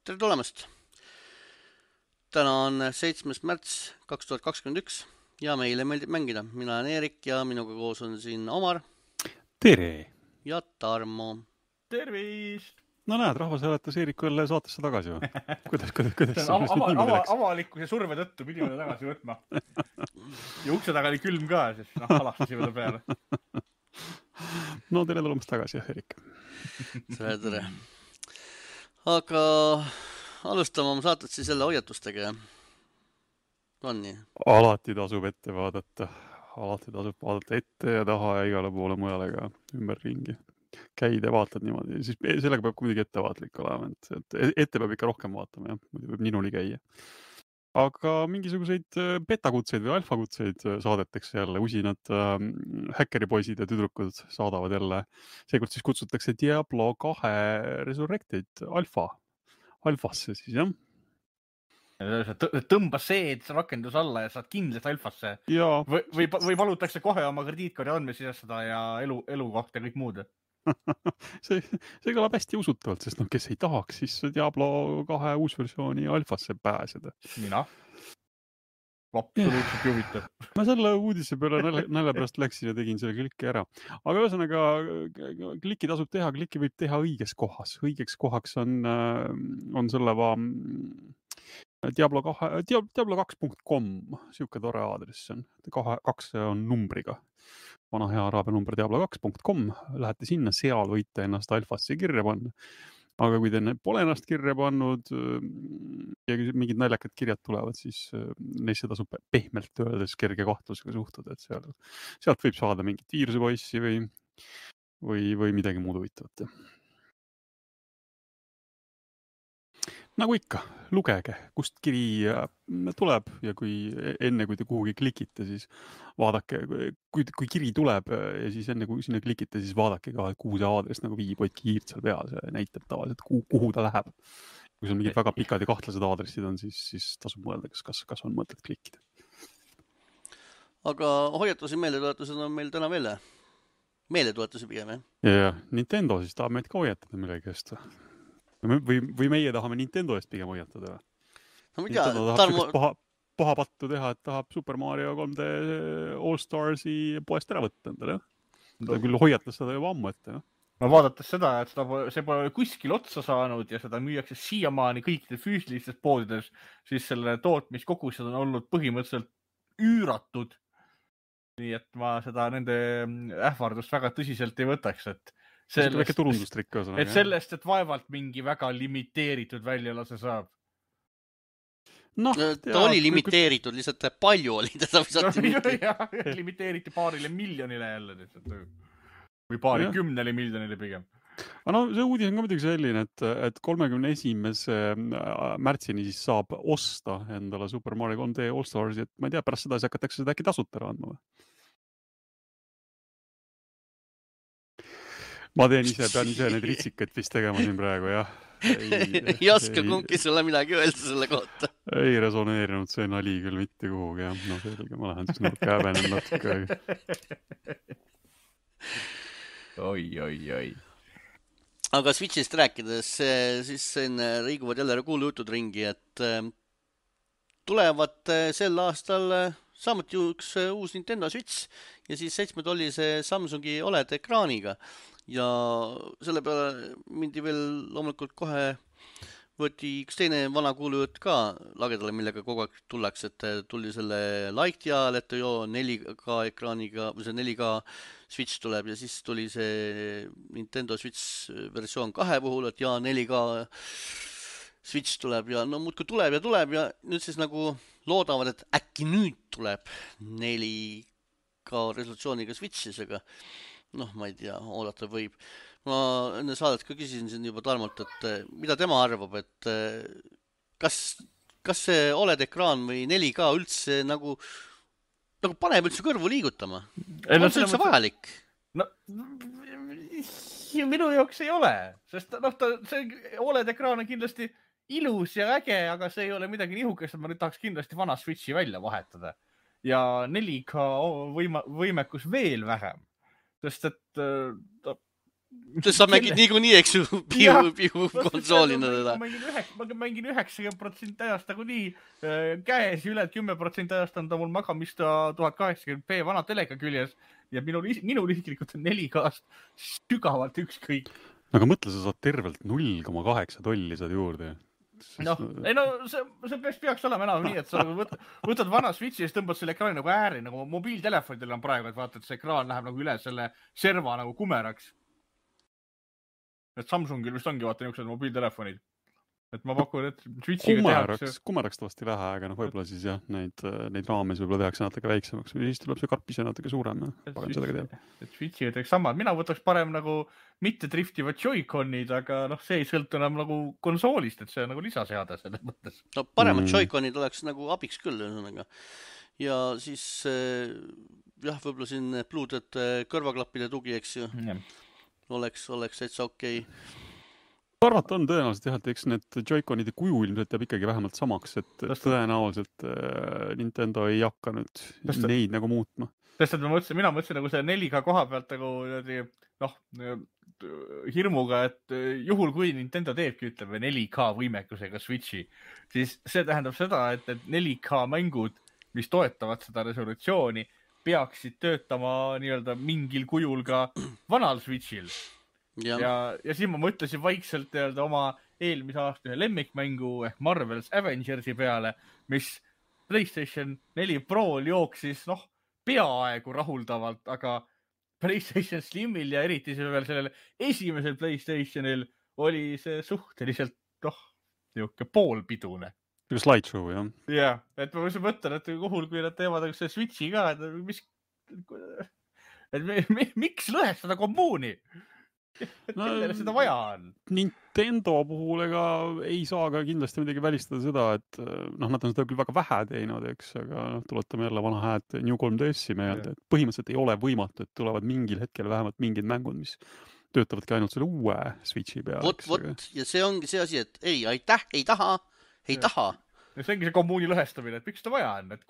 Tere tulemast! Täna on 7. märts 2021 ja meile meeldib mängida. Mina olen Eerik ja minuga koos on siin Omar. Tere! Ja Tarmo. Tervist! No näed, rahvas hääletas Eeriku jälle saatesse tagasi või? Kuidas avalikkuse surve tõttu pidime ta tagasi võtma. Ja ukse taga oli külm ka, sest halastasime ta peale. No tere tulemast tagasi, jah, Eerik. Tere. Aga alustame oma saatet siis jälle hoiatustega. On nii? Alati tasub ette vaadata. Alati tasub vaadata ette ja taha ja igale poole mujale ka ümber ringi. Käid ja vaatad niimoodi. Siis sellega peab kuidagi ettevaatlik olema. Ette peab ikka rohkem vaatama, jah. Muidu võib ninuli käia. Aga mingisuguseid betakutseid või alfakutseid saadetakse jälle. Usinad häkkeripoisid ja tüdrukud saadavad jälle. Seekord siis kutsutakse Diablo 2 Resurrected alfasse siis, jah. Tõmba see rakendus alla ja saad kindlalt alfasse. Ja. Või valutakse kohe oma krediitkaardi andme sisestada ja elukoht ja kõik muud. see kõlab hästi usutavalt, sest kes ei tahaks siis Diablo 2 uusversiooni alfasse pääseda. Mina? Absoluutselt juhitav. Ma selle uudise peale nalja pärast läksin ja tegin selle klikki ära. Aga ühesõnaga, klikki tasub teha, klikki võib teha õiges kohas. Õigeks kohaks on selle Diablo2.com, siuke tore aadress on. 2 on numbriga. Vana hea araabia number Diablo2.com. Lähete sinna, seal võite ennast alfasse kirja panna. Aga kui te pole ennast kirja pannud ja mingid naljakad kirjad tulevad, siis neisse tasub pehmelt öeldes kerge kahtlusega suhtuda, et sealt võib saada mingit viirusepoissi või midagi muud huvitavat. Nagu ikka, lugege, kust kiri tuleb ja enne kui te kuhugi klikite, siis vaadake, kui kiri tuleb ja siis enne kui sinna klikite, siis vaadake ka, kuhu see aadress nagu viib, hoidke kiirt seal peal, see näitab tavaliselt, kuhu ta läheb. Kui seal mingid väga pikad ja kahtlased aadressid on, siis tasub mõelda, kas on mõtet klikkida. Aga hoiatusi, meeletuletused on meil täna veel. Meeletuletusi pigem, jah? Ja Nintendo siis tahab meid ka hoiatada millegi eest. Või meie tahame Nintendo eest pigem hoiatada. No, Nintendo tahab paha pattu teha, et tahab Super Mario 3D All-Starsi poest ära võtta endale. Ta küll hoiatas seda juba ammu ette. No vaadates seda, et see pole kuskil otsa saanud ja seda müüakse siiamaani kõikidel füüsilistes poodides, siis selle tootmiskogused on olnud põhimõtteliselt üüratud. Nii et ma seda nende ähvardust väga tõsiselt ei võtaks, et väike turundustrikk. Et sellest, et vaevalt mingi väga limiteeritud väljalase saab. No, ta oli limiteeritud, lihtsalt palju oli teda limiteeriti paarile miljonile jälle. Või paari kümnele miljonile pigem. Aga no see uudis on ka muidugi selline, et 31. märtsini siis saab osta endale Super Mario 3D All-Starsi, et ma ei tea, pärast seda hakatakse seda äkki tasuta ära andma või? Ma pean ise need ritsikad vist tegema siin praegu, jah. Ei oska kumbki sulle midagi öelda selle kohta. Ei resoneerinud see nali küll mitte kuhugi, jah. No selge, ma lähen siis käevenen natuke. Oi. Aga Switchist rääkides, siis liiguvad jälle kuulujutud ringi, et tulevad sel aastal samuti üks uus Nintendo Switch ja siis 7-tollise Samsungi OLED ekraaniga. Ja selle peale mindi veel loomulikult kohe võeti üks teine vana kuulujutt ka lagedale, millega kogu aeg tullakse, et tuli selle Light ajal, et 4K ekraaniga, või see 4K Switch tuleb ja siis tuli see Nintendo Switch versioon 2 puhul, et 4K Switch tuleb ja no muudkui tuleb ja nüüd siis nagu loodavad, et äkki nüüd tuleb 4K resolutsiooniga Switchisega. Noh, ma ei tea, oodata võib. Ma enne saadet ka küsisin siin juba Tarmolt, et mida tema arvab, et kas see OLED ekraan või 4K üldse nagu paneb üldse kõrvu liigutama? On see üldse vajalik? No, minu jaoks ei ole, sest see OLED ekraan on kindlasti ilus ja äge, aga see ei ole midagi nihukest, et ma nüüd tahaks kindlasti vana Switchi välja vahetada. Ja 4K võimekus veel vähem. Sest et Sa mängid niikuinii, eks ju, pihu konsoolina teda. Ma mängin 90% ajast nagu nii käes ja üle 10% ajast on ta mul magamist 1080p vana telega küljes ja minul isiklikult on 4K-st sügavalt ükskõik. Aga mõtle, sa saad tervelt 0,8 tolli saad juurde. See peaks olema enam nii, et sa võtad vana Switchi ja tõmbad selle ekraani nagu ääri, nagu mobiiltelefonidel on praegu, et vaata, et see ekraan läheb nagu üle selle serva nagu kumeraks. Et Samsungil vist ongi vaata niisugused mobiiltelefonid. Et ma pakun, et Switchiga tehakse. Kumerakst vasti vähe, aga võib-olla siis jah, neid raames võib-olla tehakse natuke väiksemaks või siis tuleb see karpis natuke suurem. Et Switchiga tehakse samad. Mina võtaks parem nagu mitte driftivad Joy-Conid, aga see ei sõltu enam nagu konsoolist, et see on nagu lisaseade selles mõttes. No paremad Joy-Conid oleks nagu abiks küll. Ja siis jah, võib-olla siin Bluetooth kõrvaklappide tugi, eks ju. Oleks täitsa okei. Arvata on tõenäoliselt jah, et eks need Joy-Conide kuju ilmselt jääb ikkagi vähemalt samaks, et tõenäoliselt Nintendo ei hakka nüüd neid nagu muutma. Sest et mina mõtlesin nagu see 4K koha pealt nagu hirmuga, et juhul kui Nintendo teebki, ütleme 4K võimekusega Switchi, siis see tähendab seda, et 4K mängud, mis toetavad seda resolutsiooni, peaksid töötama nii-öelda mingil kujul ka vanal Switchil. Ja siis ma mõtlesin vaikselt oma eelmise aasta ühe lemmikmängu ehk Marvel's Avengersi peale, mis PlayStation 4 Pro'l jooksis peaaegu rahuldavalt, aga PlayStation Slimil ja eriti veel sellel esimesel PlayStationil oli see suhteliselt niisugune poolpidune. Slideshow, jah. Jah, et ma mõtlen, et kuhul, kui nad teevad see Switchi ka, et miks lõhestada kommuuni? Kellele seda vaja on? Nintendo puhul ega ei saa ka kindlasti midagi välistada seda, et nad on seda küll väga vähe teinud, eks, aga tuletame jälle vana hääd New 3DS-i meelde, et põhimõtteliselt ei ole võimatu, et tulevad mingil hetkel vähemalt mingid mängud, mis töötavadki ainult selle uue Switchi peal. Vot, ja see ongi see asi, et ei taha. See ongi see kommuuni lõhestamine, et miks seda vaja on, et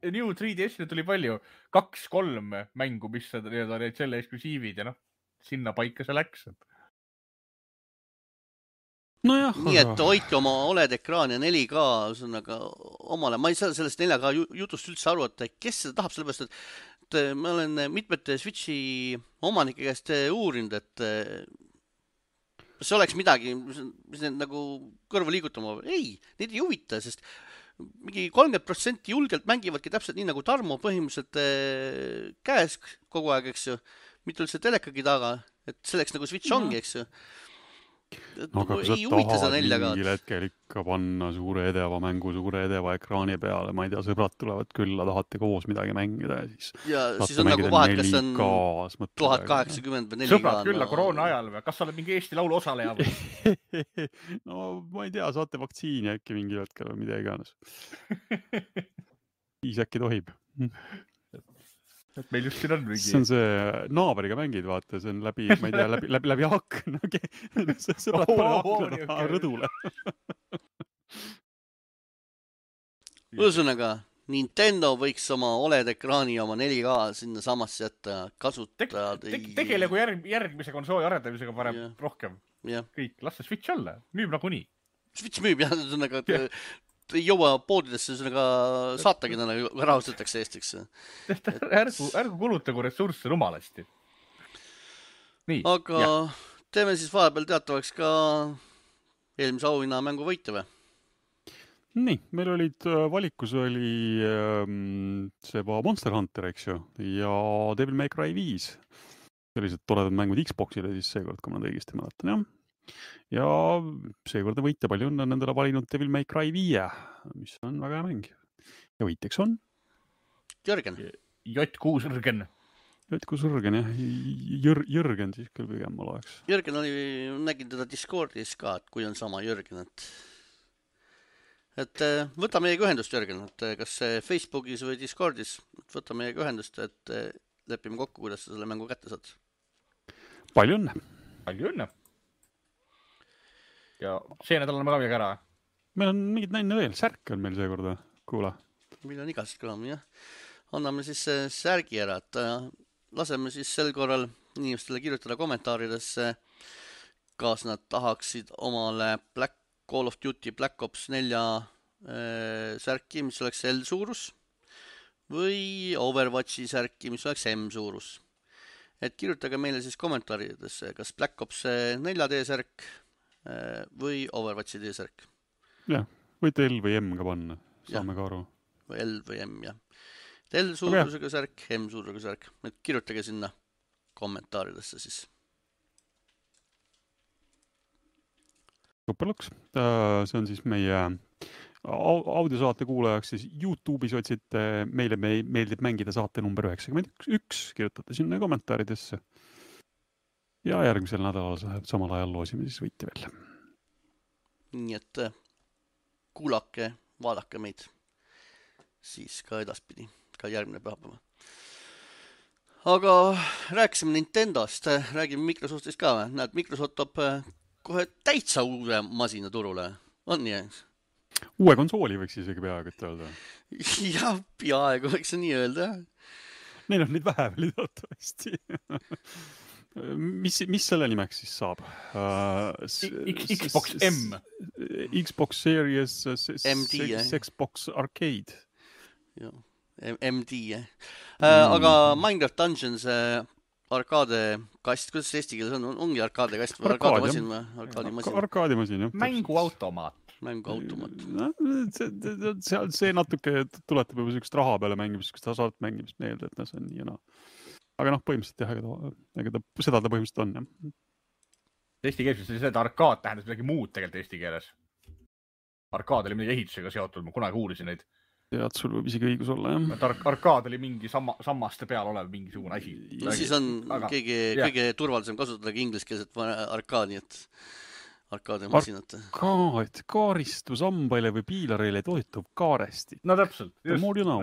New 3DS-i tuli palju, 2-3 mängu, mis need selle eksklusiivid ja sinna paika see läks. Nojah. Nii, et hoidke oma OLED-ekraan ja 4K omale. Ma ei saa sellest 4K jutust üldse aru, et kes seda tahab, sellepärast, et ma olen mitmete Switchi omanike käest uurinud, et see oleks midagi, mis need nagu kõrva liigutama. Ei, neid ei huvita, sest mingi 30% julgelt mängivadki täpselt nii nagu Tarmo põhimõtteliselt käes kogu aeg, eks ju. Mitte üldse telekagi taga, et selleks nagu Switch ongi, eks ju. Aga kui sa tahad mingil hetkel ikka panna suure edeva mängu, suure edeva ekraani peale, ma ei tea, sõbrad tulevad külla, tahate koos midagi mängida ja siis on nagu vahet, kas on 1080 või 4K. Sõbrad külla koroona ajal või? Kas sa oled mingi Eesti Laulu osaleja või? No ma ei tea, saate vaktsiini äkki mingi hetkel või mida iganes. Siis äkki tohib. Et meil just siin on mingi... See on see naaberiga mängid, vaata, see on läbi, ma ei tea, läbi akna. Sõbrad pane akna rõdule. Ühesõnaga, Nintendo võiks oma OLED-ekraani ja oma 4K sinna samasse jätta kasutada. Tegelegu järgmise konsooli arendamisega parem rohkem. Kõik, las see Switch olla. Müüb nagu nii. Switch müüb, jah. Ei jõua poodidesse saatagi rahustatakse Eestiks. Ärgu kulutagu ressursse rumalasti. Aga teeme siis vahepeal teatavaks ka eelmise auhinna mängu võite või? Nii, meil olid valikus oli see Monster Hunter, eks ju, ja Devil May Cry 5. Sellised toredad mängud Xboxile siis seekord, kui ma õigesti mäletan, jah. Ja seekord võitja palju on nendele valinud Devil May Cry 5, mis on väga hea mäng. Ja võitjaks on? Jörgen. J6 Jürgen. J6 Jürgen, jah. Jürgen siis küll pigem ma loeks. Jürgen nägin teda Discordis ka, et kui on sama Jürgen, et võta meiega ühendust, Jürgen, et kas Facebookis või Discordis, võta meiega ühendust, et lepime kokku, kuidas sa selle mängu kätte saad. Palju õnne. Palju õnne. Ja see nädal on ka midagi ära. Meil on mingid näine veel. Särk on meil seekorda. Kuule. Meil on igast kõlama, jah. Anname siis särgi ära, et laseme siis sel korral inimestele kirjutada kommentaaridesse, kas nad tahaksid omale Call of Duty Black Ops 4 särki, mis oleks L suurus, või Overwatchi särki, mis oleks M suurus. Et kirjutage meile siis kommentaaridesse, kas Black Ops 4D särk või Overwatchi D-särk. Jah, võite L või M ka panna, saame ka aru. L või M, jah. L suurusega särk, M suurusega särk. Et kirjutage sinna kommentaaridesse siis. Superluks. See on siis meie audiosaate kuulajaks siis YouTube'is otsite meile meeldib mängida saate number 91, kirjutate sinna kommentaaridesse. Ja järgmisel nädalal samal ajal loosime siis võiti veel. Nii et kuulake, vaadake meid siis ka edaspidi, ka järgmine pühapäeva. Aga rääkisime Nintendost, räägime Microsoftist ka või? Näed, Microsoft toob kohe täitsa uue masina turule. On nii? Uue konsooli võiks isegi peaaegu öelda. Jah, peaaegu võiks nii öelda. Neil on neid vähe veel teatavasti. Mis selle nimeks siis saab? Xbox M. Xbox Series MD, Xbox Arcade. Joo, MD. Aga Minecraft Dungeons arkaadekast, kuidas see eesti keeles on? Ongi arkaadekast või arkaademasin või? Arkaadimasin, jah. Mänguautomaat. See natuke tuletab juba sellist raha peale mängimist, kus ta saad mängimist meelde, et see on nii ja naa. Aga põhimõtteliselt jah, seda ta põhimõtteliselt on, jah. Eesti keeles oli see, et arkaad tähendas midagi muud tegelikult eesti keeles. Arkaad oli midagi ehitusega seotud, ma kunagi uurisin neid. Tead, sul võib isegi õigus olla, jah. Et arkaad oli mingi sammaste peal olev mingisugune asi. No siis on kõige turvalisem kasutadagi ingliskeelset arkaadi, et arkaademasinat. Arkaad, kaaristus ambaile või piilareile toetub kaaresti. No täpselt. The more you know.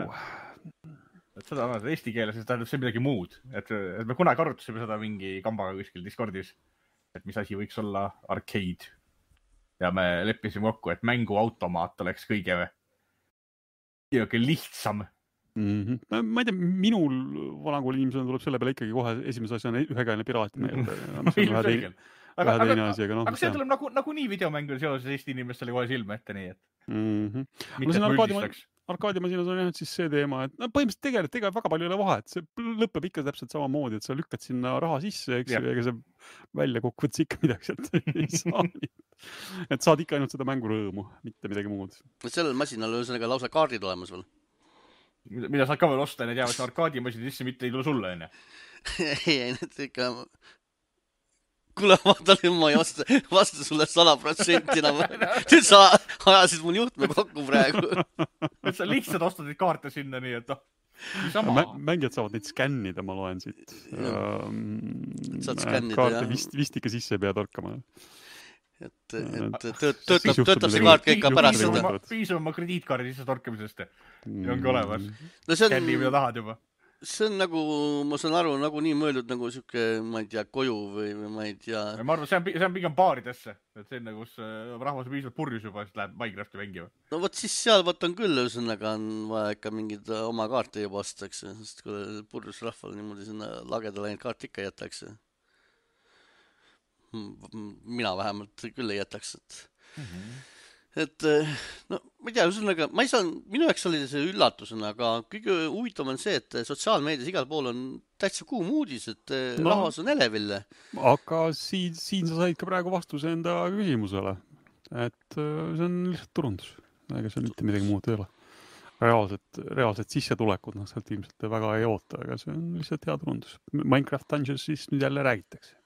Et seda on eesti keeles, see tähendab see midagi muud. Et me kunagi arutasime seda mingi kambaga kuskil Discordis, et mis asi võiks olla arcade. Ja me leppisime kokku, et mänguautomaat oleks kõige lihtsam. Ma ei tea, minul vanakooli inimesena tuleb selle peale ikkagi kohe esimese asjana ühekäine piraat meelde. Aga see tuleb nagu nii videomängul seoses Eesti inimestele kohe silme ette, nii et mitte mõldistaks. Arkaadimasinas on jah siis see teema, et põhimõtteliselt tegelikult väga palju ei ole vahet. See lõpeb ikka täpselt samamoodi, et sa lükkad sinna raha sisse, eks ju, ega see välja kokkuvõttes ikka midagi sealt ei saa. Et saad ikka ainult seda mängurõõmu, mitte midagi muud. Sellel masinal on ühesõnaga lausa kaardid olemas veel. Mida saad ka veel osta, need jäävad arkaadimasini sisse, mitte ei tule sulle, enne. Ei, need ikka... Kuule, vaatan, ma ei vasta sulle 100% enam. Nüüd sa ajasid mul juhtme kokku praegu. Et sa lihtsalt ostad neid kaarte sinna, nii et mängijad saavad neid skännida, ma loen siit. Saad skännida, kaarte vist ikka sisse ei pea torkama. Et töötab see kaart ka ikka pärast seda. Piisab oma krediitkaardi sisse torkamisest. Ja ongi olemas. Skänni, mida tahad juba. See on nagu, ma saan aru, nagu nii mõeldud nagu siuke, ma ei tea, koju või ma ei tea. Ma arvan, see on pigem baaridesse. Et see on nagu, kus rahvas on piisavalt purjus juba, siis läheb Minecrafti mängima. No võt siis seal võtan küll, ühesõnaga on vaja ikka mingid oma kaarte juba ostaks. Sest kui purjus rahval niimoodi sinna lagedale neid kaart ikka jätaks. Mina vähemalt küll ei jätaks. Et no, ma ei tea, ühesõnaga, minu jaoks oli see üllatusena, aga kõige huvitav on see, et sotsiaalmeedias igal pool on täitsa kuum uudis, et rahvas on eleville. Aga siin sa said ka praegu vastuse enda küsimusele, et see on lihtsalt turundus, ega see mitte midagi muud ei ole. Reaalselt sissetulekud, sealt ilmselt väga ei oota, aga see on lihtsalt hea turundus. Minecraft Dungeons siis nüüd jälle räägitakse.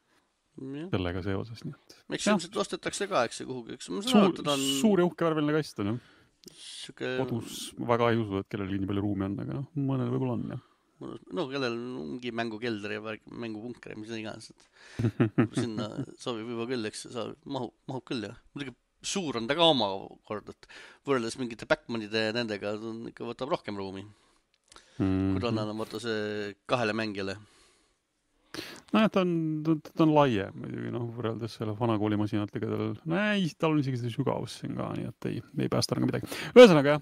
Sellega seoses, nii et. Eks ilmselt ostetakse ka, eks see kuhugi. Suur ja uhke värveline kast on, jah. Kodus väga ei usu, et kellelgi nii palju ruumi on, aga mõnel võib-olla on, jah. No, kellel ongi mängukelder ja mängupunker ja mis on iganes. Sinna sobib juba küll, eks mahub küll, jah. Muidugi suur on ta ka oma kord, et võrreldes mingite Backmanide nendega ikka võtab rohkem ruumi. Kui rannal on võtta see 2 mängijale. nojah, ta on laiem muidugi, võrreldes selle vanakoolimasinatega tal on isegi seda sügavust siin ka, nii et ei päästa nagu midagi. Ühesõnaga,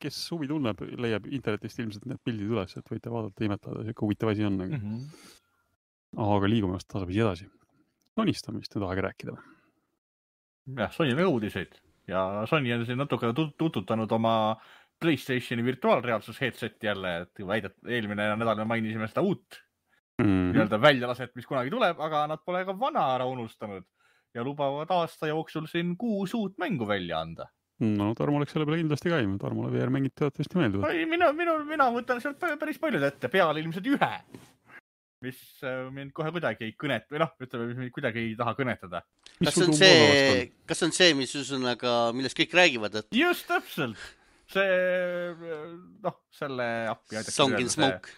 kes huvi tunneb, leiab internetist ilmselt need pildid üles, et võite vaadata, imetleda, siuke huvitav asi on. Aga liigume vast tasapisi edasi. Sonistamist ei tahagi rääkida. Jah, Sony uudiseid ja Sony on siin natuke tututanud oma PlayStationi virtuaalreaalsus headseti jälle, et eelmine nädal me mainisime seda uut nii-öelda väljalaset, mis kunagi tuleb, aga nad pole ka vana ära unustanud ja lubavad aasta jooksul siin 6 uut mängu välja anda. No Tarmo läks selle peale kindlasti käima, Tarmole VR-mängid teatavasti meelduvad. Mina võtan sealt päris paljud ette, peale ilmselt ühe, mis mind kohe kuidagi ei kõnet, või ütleme, mis mind kuidagi ei taha kõnetada. Kas on see, mis üsõnaga, millest kõik räägivad? Et... Just täpselt. See, selle appi Song in Smoke.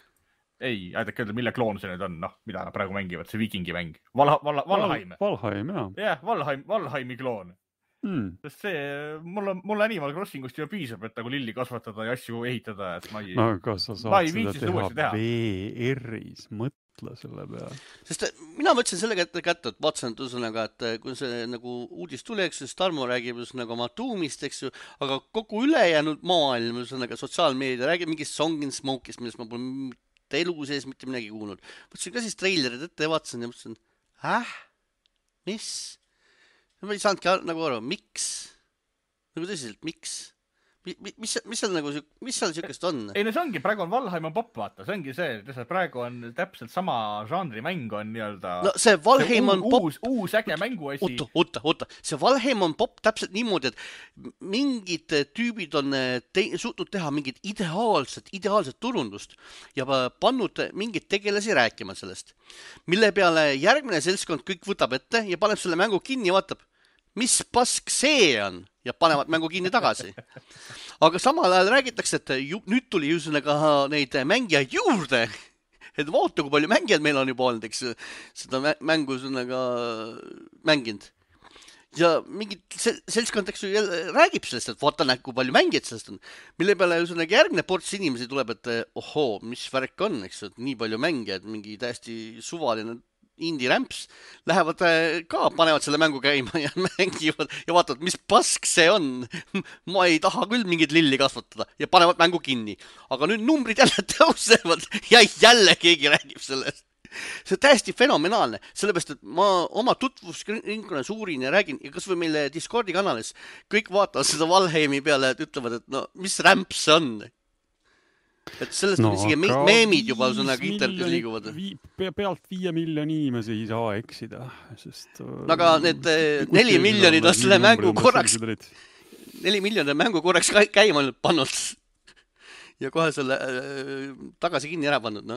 Ei, aidake öelda, mille kloon see nüüd on, mida nad praegu mängivad, see viikingi mäng. Valheim. Valheim, jah. Jah, Valheimi kloon. Sest see, mulle Animal Crossingust ju piisab, et nagu lilli kasvatada ja asju ehitada, et ma ei... No kas sa saad seda teha VR-is, mõtle selle peale. Sest mina mõtlesin selle kätte, et vaatsin üsõnaga, et kui see nagu uudis tuleks, siis Tarmo räägib üsõnaga oma tuumist, eks ju, aga kogu ülejäänud maailm, üsõnaga sotsiaalmeedia räägib mingist Song in Smoke'ist, millest ma pole elu sees mitte midagi kuulnud. Mõtlesin ka siis treilerid ette ja vaatasin ja mõtlesin, mis? Ma ei saanudki nagu aru, miks? Nagu tõsiselt, miks? Mis seal siukest on? Ei, see ongi, praegu on Valheim on pop, vaata. See ongi see, et praegu on täpselt sama žanri mäng on nii-öelda... No see Valheim on pop... Uus äge mänguasi. Oota. See Valheim on pop täpselt niimoodi, et mingid tüübid on suutnud teha mingit ideaalset turundust ja pannud mingid tegelasi rääkima sellest. Mille peale järgmine seltskond kõik võtab ette ja paneb selle mängu kinni ja vaatab, mis pask see on ja panevad mängu kinni tagasi. Aga samal ajal räägitakse, et nüüd tuli üsõnaga neid mängijaid juurde, et vaata, kui palju mängijaid meil on juba olnud, eks seda mängu üsõnaga mänginud. Ja mingid seltskond, eks ju, räägib sellest, et vaata näed, kui palju mängijaid sellest on. Mille peale üsõnaga järgmine ports inimesi tuleb, et ohoo, mis värk on, eks ju, et nii palju mängijaid, mingi täiesti suvaline indie-rämps, lähevad ka, panevad selle mängu käima ja mängivad ja vaatavad, mis pask see on. Ma ei taha küll mingit lilli kasvatada ja panevad mängu kinni. Aga nüüd numbrid jälle tõusevad ja jälle keegi räägib sellest. See on täiesti fenomenaalne, sellepärast, et ma oma tutvusringkonnas uurin ja räägin ja kas või meile Discordi kanalis kõik vaatavad seda Valheimi peale, et ütlevad, et mis rämps see on. Et sellest on isegi meemid juba üsõnaga internetis liiguvad. Pealt 5 miljoni inimesi ei saa eksida, sest... Aga need 4 miljonid on selle mängu korraks... 4 miljonit mängu korraks käima pannud ja kohe selle tagasi kinni ära pannud,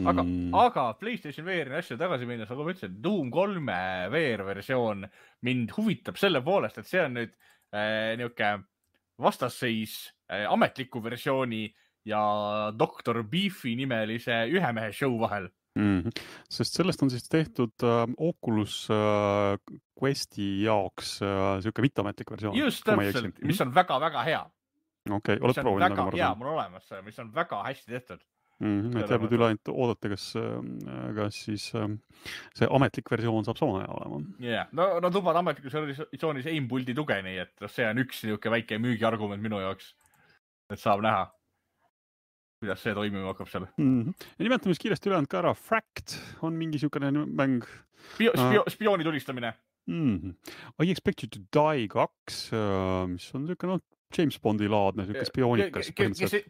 Aga PlayStation VR-i asju tagasi minnes, nagu ma ütlesin, Doom 3 VR-versioon mind huvitab selle poolest, et see on nüüd niuke vastasseis ametliku versiooni ja Dr. Beefi nimelise ühemehe show vahel. Sest sellest on siis tehtud Oculus Questi jaoks siuke mitteametlik versioon. Just täpselt, mis on väga-väga hea. Okei, oled proovinud nagu marasem? Jaa, mul on olemas, mis on väga hästi tehtud. Et jääb nüüd üle ainult oodata, kas siis see ametlik versioon saab sama hea olema. Jah, no tubad ametlikus versioonis aimpuldi tuge, nii et see on üks niuke väike müügiargument minu jaoks, et saab näha, kuidas see toimima hakkab seal. Ja nimetame siis kiiresti ülejäänud ka ära. Fract on mingi siukene mäng. Spiooni tulistamine. I Expect You to Die 2, mis on siuke James Bondi laadne, siuke spioonikas.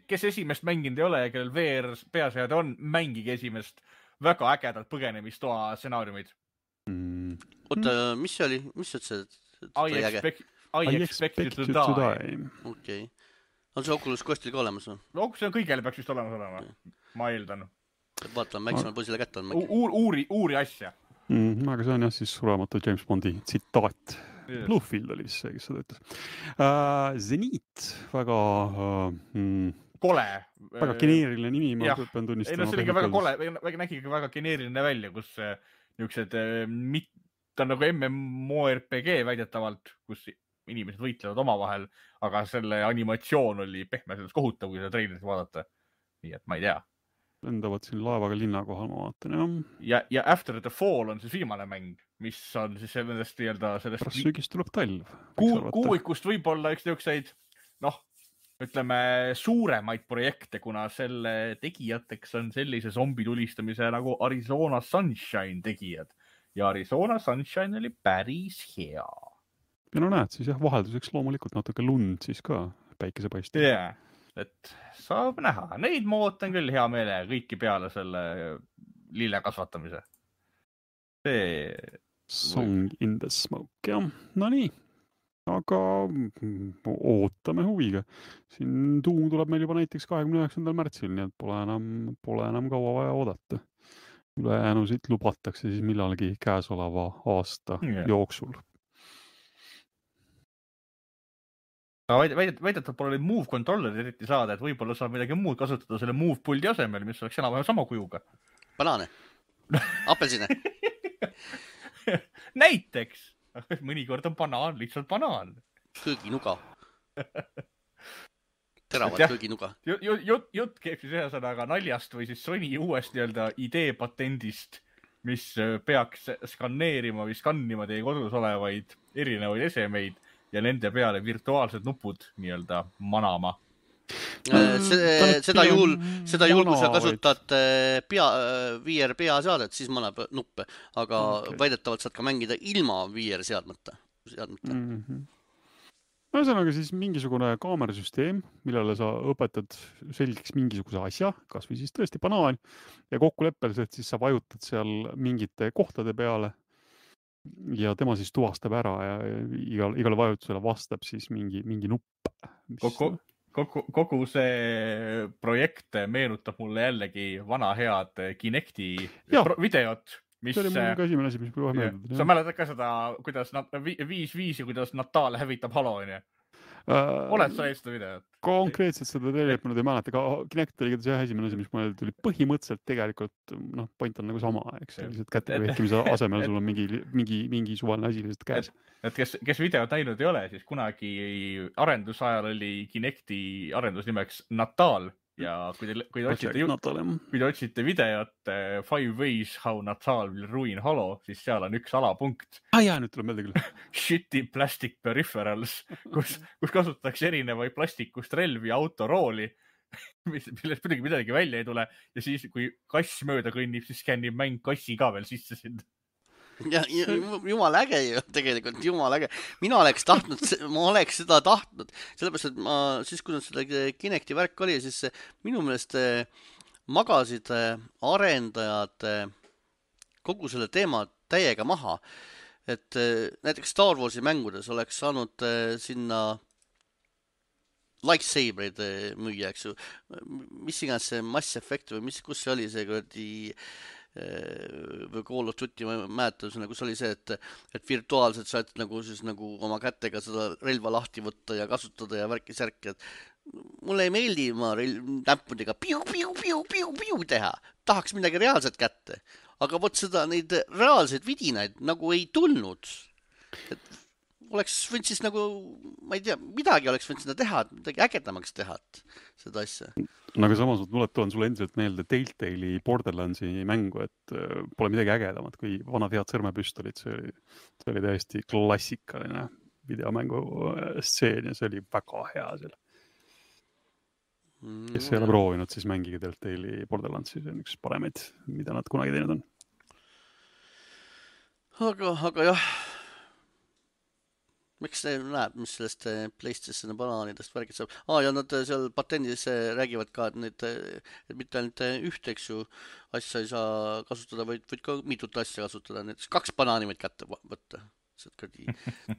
Kes esimest mänginud ei ole ja kellel VR peaseade on, mängige esimest väga ägedalt põgenemistoa stsenaariumid. Oota, mis see oli? Mis see I Expect You to Die. Okei. On see Oculus Questil ka olemas? See on kõigele peaks vist olemas olema, ma eeldan. Vaatame, väiksema poisile kätte on. Uuri asja. Aga see on jah siis sulematu James Bondi tsitaat. Bluefield oli vist see, kes seda ütles. Zenit, väga... Kole. Väga geneeriline nimi, ma pean tunnistama. See oli ka väga kole, nägi ka väga geneeriline välja, kus niisugused, ta on nagu MMORPG väidetavalt, kus inimesed võitlevad omavahel, aga selle animatsioon oli pehme sellest kohutav, kui seda treilerit vaadata. Nii et ma ei tea. lendavad siin laevaga linna kohal, ma vaatan, ja After the Fall on siis viimane mäng, mis on siis nendest sellest pärast sügist tuleb talv. kuuikust võib-olla üks niisuguseid, ütleme suuremaid projekte, kuna selle tegijateks on sellise zombi tulistamise nagu Arizona Sunshine tegijad. Ja Arizona Sunshine oli päris hea. Ja no näed, siis jah, vahelduseks loomulikult natuke lund siis ka päikesepaistel. Jaa, et saab näha. Neid ma ootan küll hea meele kõiki peale selle lille kasvatamise. Song in the smoke, jah. No nii, aga ootame huviga. Siin Doom tuleb meil juba näiteks 29. märtsil, nii et pole enam kaua vaja oodata. Ülejäänusid lubatakse siis millalgi käesoleva aasta jooksul. Väidetavalt pole Move controllerid eriti saada, et võib-olla saab midagi muud kasutada selle Move puldi asemel, mis oleks enam sama kujuga. Banaane. Apelsine. Näiteks. Mõnikord on banaan, lihtsalt banaan. Kõõginuga. Teravad kõõginuga. Jutt käib siis ühesõnaga naljast või siis Sony uuest idee patendist, mis peaks skanneerima või skannima teie kodus olevaid erinevaid esemeid ja nende peale virtuaalsed nupud manama. Seda juhul, kui sa kasutad VR peaseadet, siis manab nuppe, aga väidetavalt saad ka mängida ilma VR seadmeta. Ühesõnaga siis mingisugune kaamerasüsteem, millele sa õpetad selgeks mingisuguse asja, kas või siis tõesti banaan, ja kokkuleppeliselt siis sa vajutad seal mingite kohtade peale ja tema siis tuvastab ära ja igale vajutusele vastab siis mingi nupp. Kogu see projekt meenutab mulle jällegi vana head Kinecti videot. See oli mul ka esimene asi, mis kohe meeldib. Sa mäletad ka seda, kuidas 5-5 ja kuidas Natal hävitab Halo, on ju? Oled sa eest seda videot? Konkreetselt seda tegelikult ma nüüd ei mäleta, aga Kinect oli see esimene asi, mis mulle tuli põhimõtteliselt tegelikult, point on nagu sama, eks. Lihtsalt kätte vehkimise asemel sul on mingi suvaline asi lihtsalt käes. Et kes videot näinud ei ole, siis kunagi arendusajal oli Kinecti arendusnimeks Natal. Ja kui te otsite videot 5 ways how Natal will ruin Halo, siis seal on üks alapunkt. Nüüd tuleb meelde küll. Shitty plastic peripherals, kus kasutatakse erinevaid plastikust relvi ja autorooli, millest midagi välja ei tule. Ja siis, kui kass mööda kõnnib, siis skännib mäng kassi ka veel sisse sind. Ja jumal äge ju, tegelikult jumal äge. Ma oleks seda tahtnud, sellepärast, et siis kui seda Kinecti värk oli, siis minu meelest magasid arendajad kogu selle teema täiega maha. Et näiteks Star Warsi mängudes oleks saanud sinna lightsaberid müüa, eks ju. Mis iganes see Mass Effect või kus see oli see kuradi või Call of Duty, ma mäletan, kus oli see, et virtuaalselt saad nagu oma kätega seda relva lahti võtta ja kasutada ja värki-särki, et mulle ei meeldi ma näppudega piu teha, tahaks midagi reaalset kätte, aga vot seda neid reaalseid vidinaid nagu ei tulnud, et oleks võinud siis nagu, ma ei tea, midagi oleks võinud seda teha, midagi ägedamaks teha, seda asja. Aga samas ma toon sulle endiselt meelde Telltale'i Borderlandsi mängu, et pole midagi ägedamat kui vanad head sõrmepüstolid. See oli täiesti klassikaline videomängu stseen ja see oli väga hea seal. Kes ei ole proovinud, siis mängige Telltale'i Borderlandsi, see on üks paremaid, mida nad kunagi teinud on. Aga jah, miks see näeb, mis sellest PlayStation banaanidest värgid saab? Ja nad seal patendis räägivad ka, et mitte ainult üht, eks ju, asja ei saa kasutada, vaid ka mitut asja kasutada. Näiteks 2 banaani võid kätte võtta. Saad kõrdi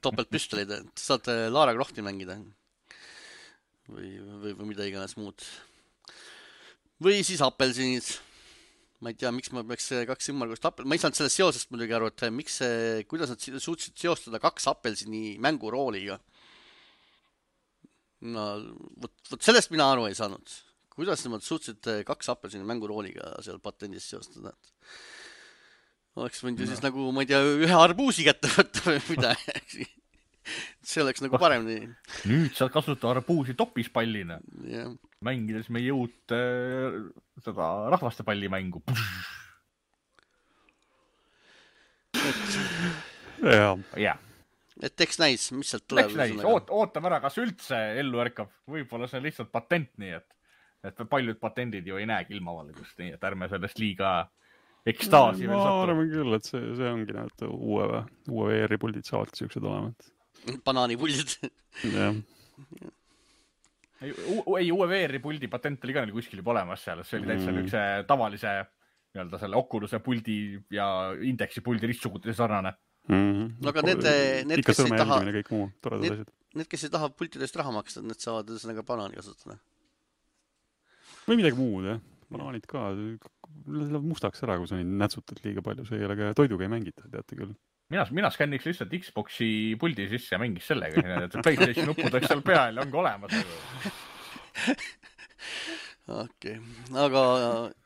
topeltpüstolid, saad Lara Crofti mängida. Või mida iganes muud. Või siis apelsinid. Ma ei tea, miks ma peaks 2 ümmargust ma ei saanud sellest seosest muidugi aru, et kuidas nad suutsid seostada 2 apelsini mängurooliga. Vot sellest mina aru ei saanud. Kuidas nemad suutsid 2 apelsini mängurooliga seal patendis seostada? Oleks võinud ju siis nagu, ma ei tea, 1 arbuusi kätte võtta või mida. see oleks nagu paremini. Nüüd saad kasutada arbuusi topispallina. Jah. Mängides meie uut seda rahvastepallimängu. Jah. Et eks näis, mis sealt tuleb. Eks näis, ootame ära, kas üldse ellu ärkab. Võib-olla see on lihtsalt patent, nii et paljud patendid ju ei näegi ilmavalgust, nii et ärme sellest liiga ekstaasi veel ma sattu. arvan küll, et see ongi näed uue VR-puldid saavad siuksed olema. Banaanipuldid. Jah. Ei, uue VR-puldi patent oli ka neil kuskil juba olemas seal. See oli täitsa üks tavalise nii-öelda selle Oculus'e puldi ja Indexi puldi ristsugudel sarnane. Aga need, kes ei taha, need, kes ei taha pultidest raha maksta, need saavad ühesõnaga banaani kasutada. Või midagi muud, jah. Banaanid ka. Läheb mustaks ära, kui sa neid nätsutad liiga palju. See ei ole ka toiduga ei mängita, teate küll. Mina skänniks lihtsalt Xboxi puldi sisse ja mängis sellega. PlayStation nupud oleks seal peal ja ongi olemas. Okei. Aga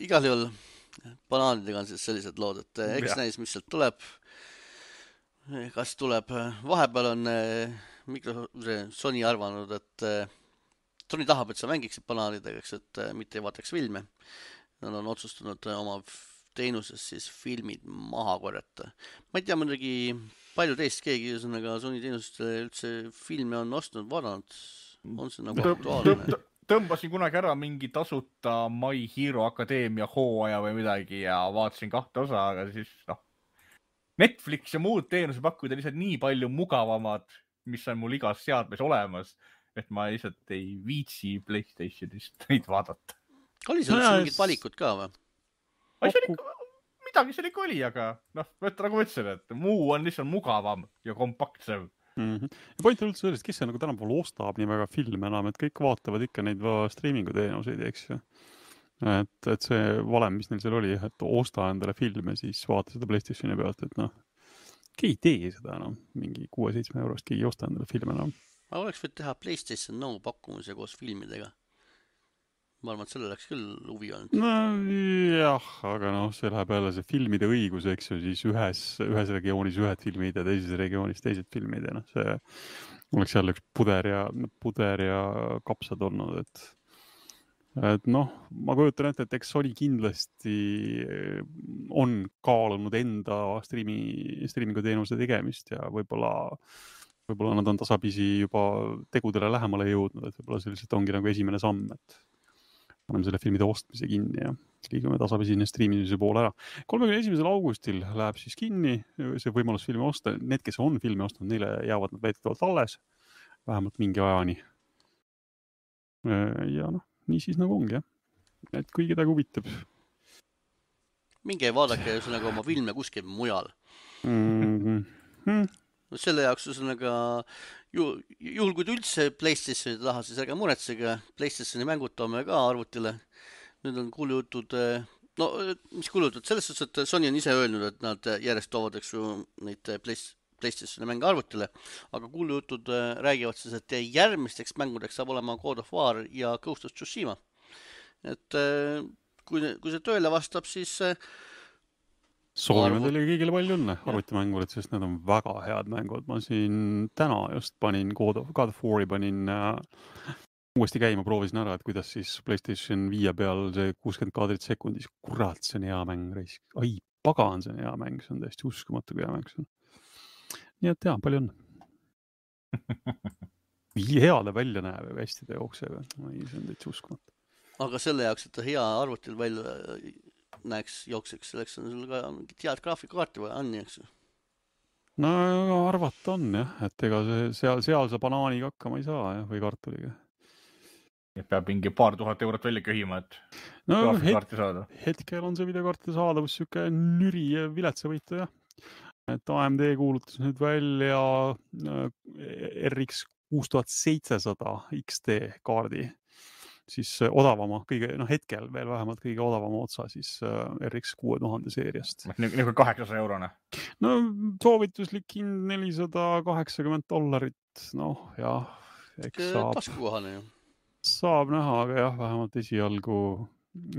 igal juhul banaanidega on siis sellised lood, et eks näis, mis sealt tuleb. Kas tuleb, vahepeal on Sony arvanud, et Sony tahab, et sa mängiksid banaanidega, et mitte ei vaataks filme. Nad on otsustanud oma teenuses siis filmid maha korjata. Ma ei tea muidugi palju teist keegi Sony teenusest üldse filme on ostnud, vaadanud. On see nagu aktuaalne? Tõmbasin kunagi ära mingi tasuta My Hero Academia hooaja või midagi ja vaatasin 2 osa, aga siis Netflix ja muud teenusepakkujad on lihtsalt nii palju mugavamad, mis on mul igas seadmes olemas, et ma lihtsalt ei viitsi PlayStationist neid vaadata. Oli seal üldse mingid valikud ka või? Midagi seal ikka oli, aga nagu ma ütlesin, et muu on lihtsalt mugavam ja kompaktsem. Ja point on üldse sellest, kes see nagu tänapäeval ostab nii väga filme enam, et kõik vaatavad ikka neid streamingu teenuseid, eks ju. Et see valem, mis neil seal oli, et osta endale filme, siis vaata seda PlayStationi pealt, et keegi ei tee seda enam, mingi 6-7 eurost, keegi ei osta endale filme enam. Aga oleks võid teha PlayStation Now pakkumise koos filmidega. Ma arvan, et selle läks küll huvi olnud. No jah, aga see läheb jälle see filmide õigus, eks ju, siis ühes regioonis ühed filmid ja teises regioonis teised filmid ja see oleks jälle üks puder ja kapsad olnud, et ma kujutan ette, et eks Sony kindlasti on kaalunud enda streamingu teenuse tegemist ja võib-olla nad on tasapisi juba tegudele lähemale jõudnud, et võib-olla see lihtsalt ongi nagu esimene samm, et paneme selle filmide ostmise kinni ja liigume tasapisi streamimise poole ära. 31. augustil läheb siis kinni see võimalus filmi osta. Need, kes on filmi ostnud, neile jäävad nad väidetavalt alles, vähemalt mingi ajani. Ja nii siis nagu ongi, jah. Et kui kedagi huvitab. Minge vaadake ühesõnaga oma filme kuskil mujal. Selle jaoks ühesõnaga, juhul kui üldse PlayStationi taha, siis ärge muretsege, PlayStationi mängud toome ka arvutile. Nüüd on kuulujutud, mis kuulujutud? Selles suhtes, et Sony on ise öelnud, et nad järjest toovad neid PlayStationi mänge arvutile, aga kuulujutud räägivad siis, et järgmisteks mängudeks saab olema God of War ja Ghost of Tsushima. Et kui see tööle vastab, siis soovime teile kõigile palju õnne arvutimängurid, sest need on väga head mängud. Ma siin täna just panin God of War'i uuesti käima, proovisin ära, et kuidas siis PlayStation 5 peal see 60 kaadrit sekundis. Kurat, see on hea mäng. Ai, pagan, see on hea mäng. See on täiesti uskumatu, kui hea mäng see on. Nii et jah, palju õnne. Heale välja näeb ja hästi ta jookseb. See on täitsa uskumatu. Aga selle jaoks, et ta hea arvutil välja näeks jookseks, selleks on sul ka mingit head graafikakaarti või on, eks ju? No arvata on, jah. Et ega seal sa banaaniga hakkama ei saa, jah, või kartuliga. Et peab mingi paar tuhat eurot välja köhima, et graafikakaarti saada. Hetkel on see videokaarti saadavus siuke nüri ja viletsavõitu, jah. Et AMD kuulutas nüüd välja RX 6700 XT kaardi, siis odavama, hetkel veel vähemalt kõige odavama otsa siis RX 6000 seeriast. Nagu 800 eurone? No soovituslik hind $480. Jah, eks saab. Taskukohane ju. Saab näha, aga jah, vähemalt esialgu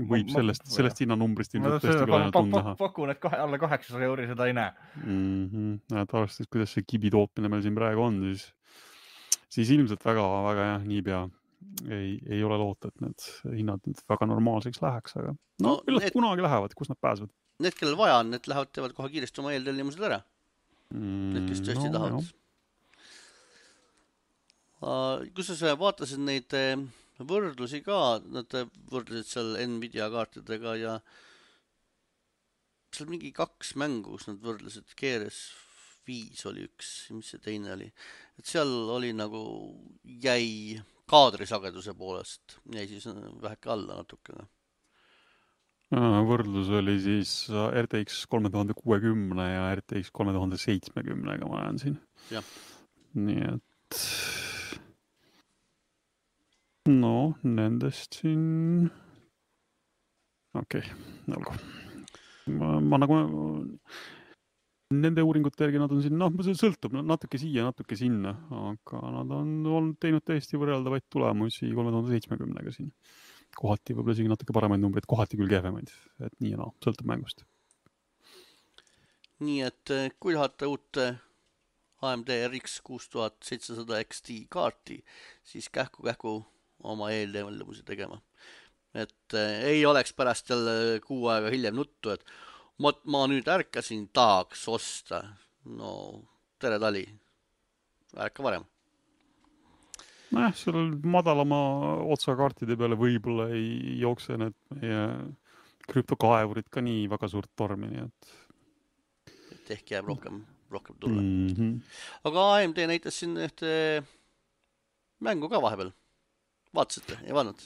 võib sellest hinnanumbrist ilmselt tõesti küll ainult näha. Pakun, et alla 800 euri seda ei näe. Arvestades, kuidas see kibi tootmine meil siin praegu on, siis siis ilmselt väga jah, niipea ei ole loota, et need hinnad nüüd väga normaalseks läheks, aga No millest need- kunagi lähevad, kus nad pääsevad? Need, kellel vaja on, need lähevad, teevad kohe kiiresti oma eeltellimused ära. Need, kes tõesti tahavad. Kus sa vaatasid neid võrdlusi ka, nad võrdlesid seal Nvidia kaartidega ja seal mingi 2 mängu, kus nad võrdlesid, GRS5 oli üks, mis see teine oli. Et seal oli nagu jäi kaadrisageduse poolest, jäi siis väheke alla natukene. Võrdlus oli siis RTX 3060 ja RTX 3070-ga ma näen siin. Jah. Nii et nendest siin olgu. Ma nagu nende uuringute järgi nad on siin, see sõltub natuke siia, natuke sinna, aga nad on teinud täiesti võrreldavaid tulemusi 3070-ga siin. Kohati võib-olla isegi natuke paremaid numbreid, kohati küll kehvemaid, et nii ja sõltub mängust. Nii et kui tahate uut AMD RX 6700 XT kaarti, siis kähku oma eeltellimusi tegema. Et ei oleks pärast jälle 6 aega hiljem nuttu, et ma nüüd ärkasin, tahaks osta. No, tere tali. Ärka varem. Seal madalama otsakaartide peale võib-olla ei jookse need meie krüptokaevurid ka nii väga suurt tormi, nii et ehk jääb rohkem tulla. Aga AMD näitas siin ühte mängu ka vahepeal. Vaatasite? Ei vaadanud?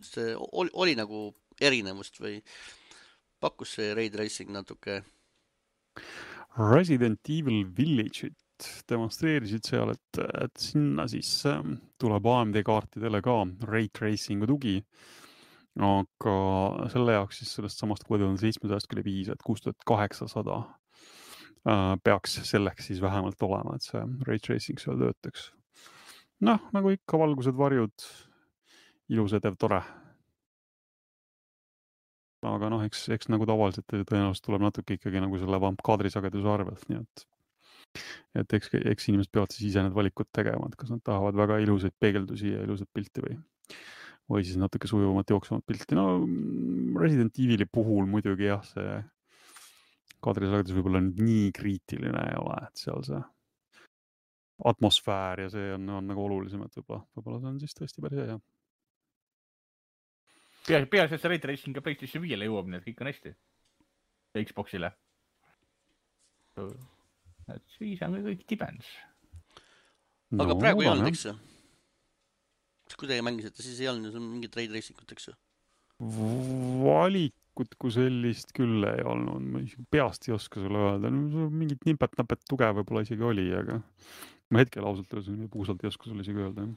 See oli nagu erinevust või pakkus see Ray Tracing natuke? Resident Evil Village'it demonstreerisid seal, et sinna siis tuleb AMD kaartidele ka Ray Tracingu tugi, aga selle jaoks siis sellest samast 6700 küll ei piisa, et 6800 peaks selleks siis vähemalt olema, et see Ray Tracing seal töötaks. Nagu ikka valgused, varjud, ilus edev, tore. Aga eks nagu tavaliselt tõenäoliselt tuleb natuke ikkagi nagu selle kaadrisageduse arvelt, nii et eks inimesed peavad siis ise need valikud tegema, et kas nad tahavad väga ilusaid peegeldusi ja ilusat pilti või siis natuke sujuvamat jooksumat pilti. Resident Evili puhul muidugi jah, see kaadrisagedus võib-olla nii kriitiline ei ole, et seal see atmosfäär ja see on nagu olulisem, et võib-olla see on siis tõesti päris hea. Peaasi, et see Ray Tracing ja PlayStation 5-le jõuab, nii et kõik on hästi. Ja Xboxile. Et siis on kõik tibens. Aga praegu ei olnud, eks ju? Kui teie mängisite, siis ei olnud mingit Ray Tracingut, eks ju? Valikut kui sellist küll ei olnud. Ma peast ei oska sulle öelda. Mingit nipet-napet tuge võib-olla isegi oli, aga ma hetkel puusalt ei oska sulle isegi öelda.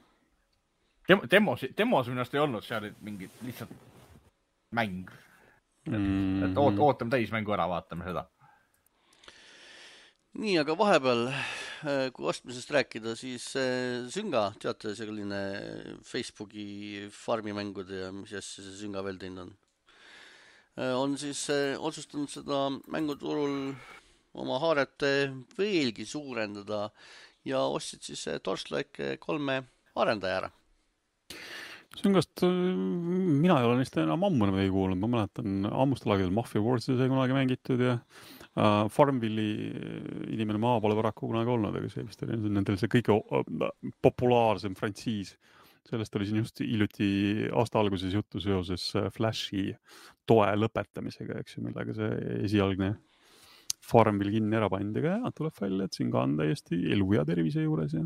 Demos minust ei olnud, seal mingid lihtsalt mäng. Et ootame täismängu ära, vaatame seda. Nii, aga vahepeal, kui ostmisest rääkida, siis Zynga, teate, selline Facebooki farmimängude ja mis asja see Zynga veel teinud on siis otsustanud seda mänguturul oma haaret veelgi suurendada ja ostsid siis Torchlight 3 arendaja ära. Syngast mina ei ole neist enam ammu ei kuulnud, ma mäletan ammustel aegadel Mafia Warsi sai kunagi mängitud ja Farmville'i inimene maa pole paraku kunagi olnud, aga see vist oli nendel see kõige populaarsem frantsiis. Sellest oli siin just hiljuti aasta alguses juttu seoses Flashi toe lõpetamisega, eks ju, millega see esialgne Farmville kinni ära pandi, aga jah, tuleb välja, et Zynga on täiesti elu ja tervise juures ja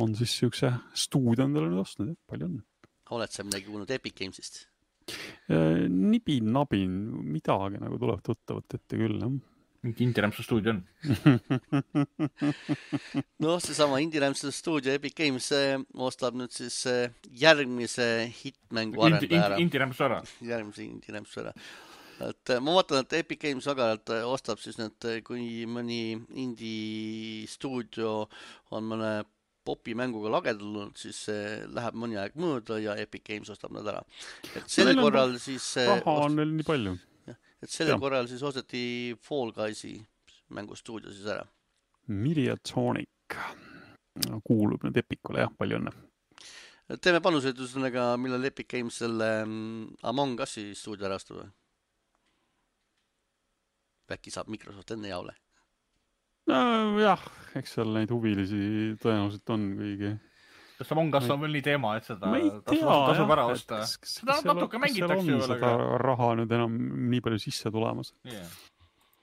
on siis siukse stuudio endale nüüd ostnud, jah, palju on. Oled sa midagi kuulnud Epic Gamesist? Nibin, midagi nagu tuleb tuttavat ette küll, jah. Mingi Indie-Rämpsu stuudio on. See sama Indie-Rämpsu stuudio Epic Games ostab nüüd siis järgmise hitmängu arendaja ära. Indie-Rämpsu ära. Järgmise Indie-Rämpsu ära. Et ma vaatan, et Epic Games agaralt ostab siis need, kui mõni indie stuudio on mõne popi mänguga lagedanud, siis läheb mõni aeg mööda ja Epic Games ostab nad ära. Et sellel korral siis raha on neil nii palju. Et sellel korral siis osteti Fall Guysi mängustuudio siis ära. Mediatonic kuulub nüüd Epicule, jah, palju õnne. Teeme panused ühesõnaga, millal Epic Games selle Among Us'i stuudio ära astab. Äkki saab Microsoft enne jaole. Jah, eks seal neid huvilisi tõenäoliselt on kõigi. Kas Among Us on veel nii teema, et seda tasub ära osta? Seda natuke mängitakse ju veel. Seda raha nüüd enam nii palju sisse tulemas.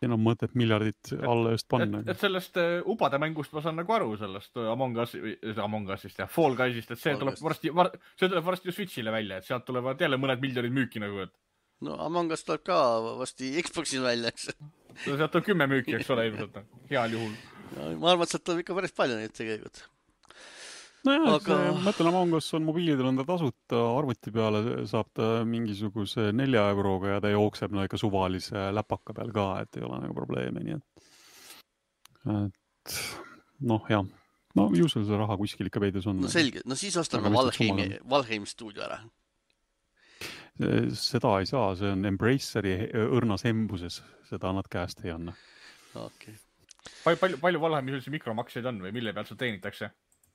Enam mõtet miljardit alla just panna. Et sellest ubade mängust ma saan nagu aru sellest Among Us'ist ja Fall Guys'ist, et see tuleb varsti ju Switch'ile välja, et sealt tulevad jälle mõned miljonid müüki nagu, et no Among Us tuleb ka vasti Xbox'il välja, eks. Sealt tuleb 10 müüki, eks ole, ilmselt. Heal juhul. Ma arvan, et sealt tuleb ikka päris palju neid tegelikult. Nojah, mõtlen Among Us on mobiilidel on ta tasuta, arvuti peale saab ta mingisuguse 4 euroga ja ta jookseb ikka suvalise läpaka peal ka, et ei ole nagu probleemi, nii et noh, jah. No ju sul see raha kuskil ikka veidus on. No selge, no siis ostame Valheim stuudio ära. Seda ei saa, see on Embraceri õrnas embuses, seda nad käest ei anna. Okay. Palju Valheimis üldse mikromakseid on või mille pealt seda teenitakse?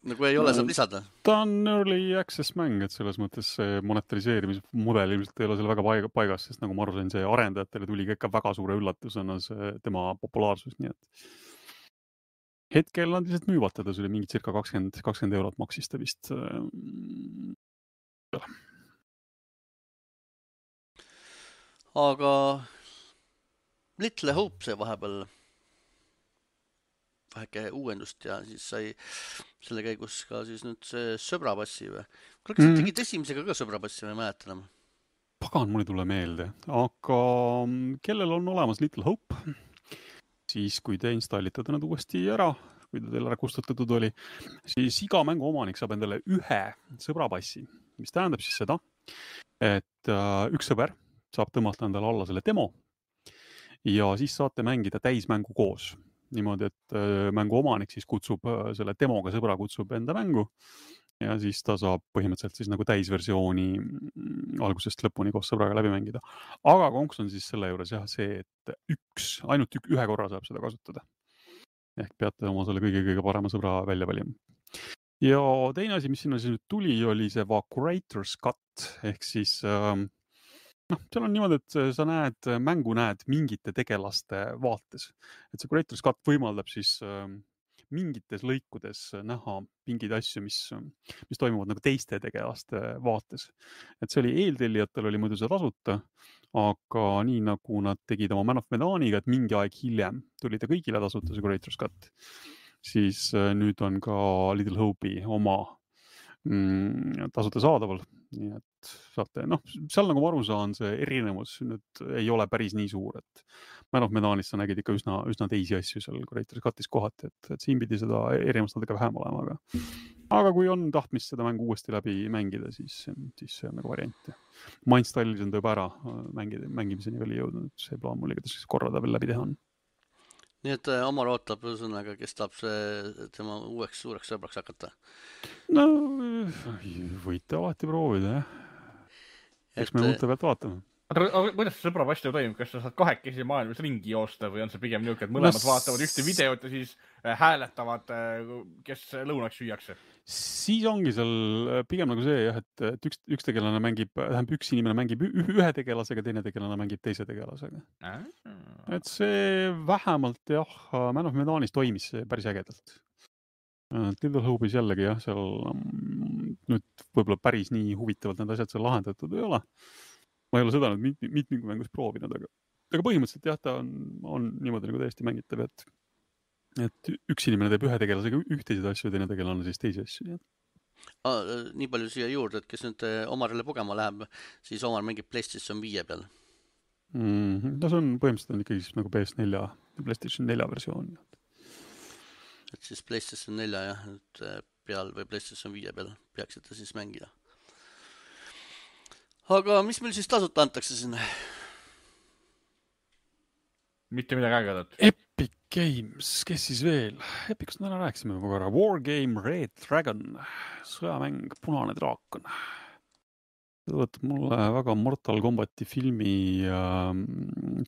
No kui ei ole, saab lisada. Ta on early access mäng, et selles mõttes see monetariseerimismudel ilmselt ei ole selle väga paigas, sest nagu ma aru sain, see arendajatele tuli ikka väga suure üllatusena see tema populaarsus, nii et hetkel nad lihtsalt müüvad teda, see oli mingi circa 20 eurot maksis ta vist. Aga Little Hope see vahepeal väheke uuendust ja siis sai selle käigus ka siis nüüd see sõbrapassi või? Kas sa tegid esimesega ka sõbrapassi või mäletan enam? Pagan, mul ei tule meelde, aga kellel on olemas Little Hope, siis kui te installite ta nüüd uuesti ära, kui ta teil ära kustutatud oli, siis iga mängu omanik saab endale ühe sõbrapassi, mis tähendab siis seda, et üks sõber saab tõmmata endale alla selle demo ja siis saate mängida täismängu koos. Niimoodi, et mängu omanik siis kutsub selle demoga sõbra kutsub enda mängu ja siis ta saab põhimõtteliselt siis nagu täisversiooni algusest lõpuni koos sõbraga läbi mängida. Aga konks on siis selle juures jah see, et ainult ühe korra saab seda kasutada. Ehk peate oma selle kõige parema sõbra välja valima. Ja teine asi, mis sinna siis nüüd tuli, oli see Curator's Cut ehk siis seal on niimoodi, et sa mängu näed mingite tegelaste vaates. Et see Curator's Cut võimaldab siis mingites lõikudes näha mingeid asju, mis toimuvad nagu teiste tegelaste vaates. Et see oli eeltellijatel oli muidu see tasuta, aga nii nagu nad tegid oma Man of Medaniga, et mingi aeg hiljem tuli ta kõigile tasuta see Curator's Cut, siis nüüd on ka Little Hope'i oma tasuta saadaval. Nii et saate, seal nagu ma aru saan, see erinevus nüüd ei ole päris nii suur, et Man of Medanist sa nägid ikka üsna teisi asju seal Curator's Cutis kohati, et siin pidi seda erinevust natuke vähem olema, aga kui on tahtmist seda mängu uuesti läbi mängida, siis see on nagu variant. Ma installisin ta juba ära, mängimiseni oli jõudnud, see plaan mul igatahes korra ta veel läbi teha on. Nii et Omar ootab sõnaga, kes tahab tema uueks suureks sõbraks hakata? No, võite alati proovida, jah. Eks me uute pealt vaatame. Aga kuidas see sõbrapassi toimub? Kas sa saad kahekesi maailmas ringi joosta või on see pigem niisugune, et mõlemad vaatavad ühte videot ja siis hääletavad, kes lõunaks süüakse? Siis ongi seal pigem nagu see, jah, et üks tegelane üks inimene mängib ühe tegelasega, teine tegelane mängib teise tegelasega. Et see vähemalt, jah, Man of Medanis toimis see päris ägedalt. Little Hope'is jällegi, jah, seal nüüd võib-olla päris nii huvitavalt need asjad seal lahendatud ei ole. Ma ei ole seda nüüd mitmingu mängus proovinud, aga põhimõtteliselt jah, ta on niimoodi nagu täiesti mängitav, et üks inimene teeb ühe tegelasega ühtesid asju ja teine tegelane siis teisi asju. Nii palju siia juurde, et kes nüüd Omarile pugema läheb, siis Omar mängib PlayStation 5 peal. No see on põhimõtteliselt ikkagi nagu PS4 ja PlayStation 4 versioon. Et siis PlayStation 4 jah, peal või PlayStation 5 peal peaksite siis mängida. Aga mis meil siis tasuta antakse sinna? Mitte midagi ägedat. Epic Games, kes siis veel? Epicust me rääkisime juba korra. Wargame Red Dragon, sõjamäng Punane draakon. See võtab mulle väga Mortal Kombati filmi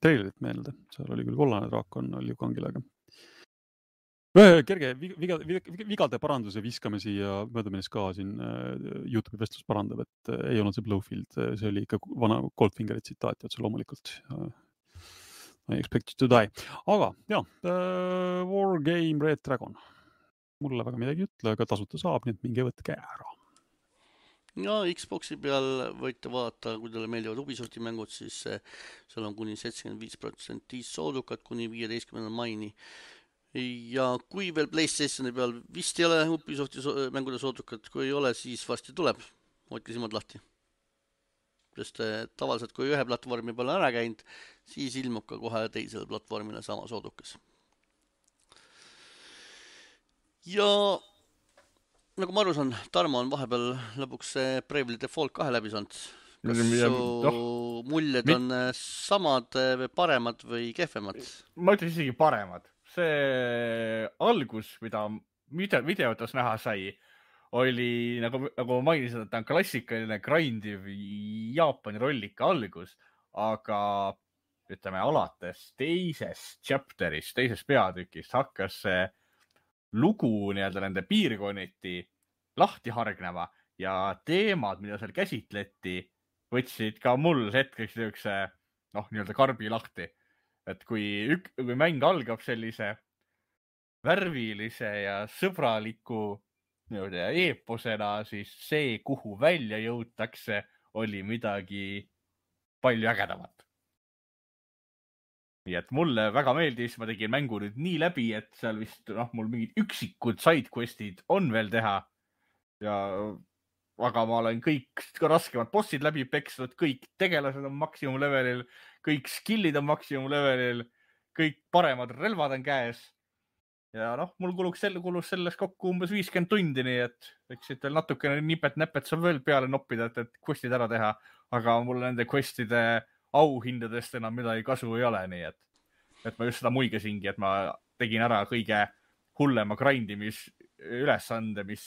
trailerit meelde. Seal oli küll kollane draakon, oli ju kangilega. Kerge vigade paranduse viskame siia möödaminnes ka siin YouTube'i vestlus parandab, et ei olnud see Blowfield, see oli ikka vana Goldfingeri tsitaat, otse loomulikult. I expect you to die. Aga jah, Wargame Red Dragon. Mulle väga midagi ütle, aga tasuta saab, nii et minge võtke ära. Ja Xboxi peal võite vaadata, kui teile meeldivad Ubisofti mängud, siis seal on kuni 75% soodukat kuni 15. maini. Ja kui veel PlayStationi peal vist ei ole Ubisofti mängude soodukat, kui ei ole, siis varsti tuleb. Hoidke silmad lahti. Sest tavaliselt, kui ühe platvormi peale ära käinud, siis ilmub ka kohe teisele platvormile sama soodukas. Ja nagu ma aru saan, Tarmo on vahepeal lõpuks Bravely Default 2 läbi saanud. Kas su muljed on samad või paremad või kehvemad? Ma ütlen isegi paremad. See algus, mida videotes näha sai, oli, nagu ma mainisin, et ta on klassikaline grindiv Jaapani rollika algus, aga ütleme, alates teisest chapterist, teisest peatükist hakkas see lugu nii-öelda nende piirkonniti lahti hargnema ja teemad, mida seal käsitleti, võtsid ka mul hetkeks nii-öelda karbi lahti. Et kui mäng algab sellise värvilise ja sõbraliku eeposena, siis see, kuhu välja jõutakse, oli midagi palju ägedamat. Nii et mulle väga meeldis, ma tegin mängu nüüd nii läbi, et seal vist mul mingid üksikud sidequestid on veel teha. Aga ma olen kõik raskemad bossid läbi peksnud, kõik tegelased on maksimumlevelil, kõik skillid on maksimumlevelil, kõik paremad relvad on käes. Ja mul kulus selles kokku umbes 50 tundi, nii et võiksid veel natukene nipet-näpet seal veel peale noppida, et questid ära teha. Aga mul nende questide auhindadest enam midagi kasu ei ole, nii et ma just seda muigasingi, et ma tegin ära kõige hullema grindimis ülesande, mis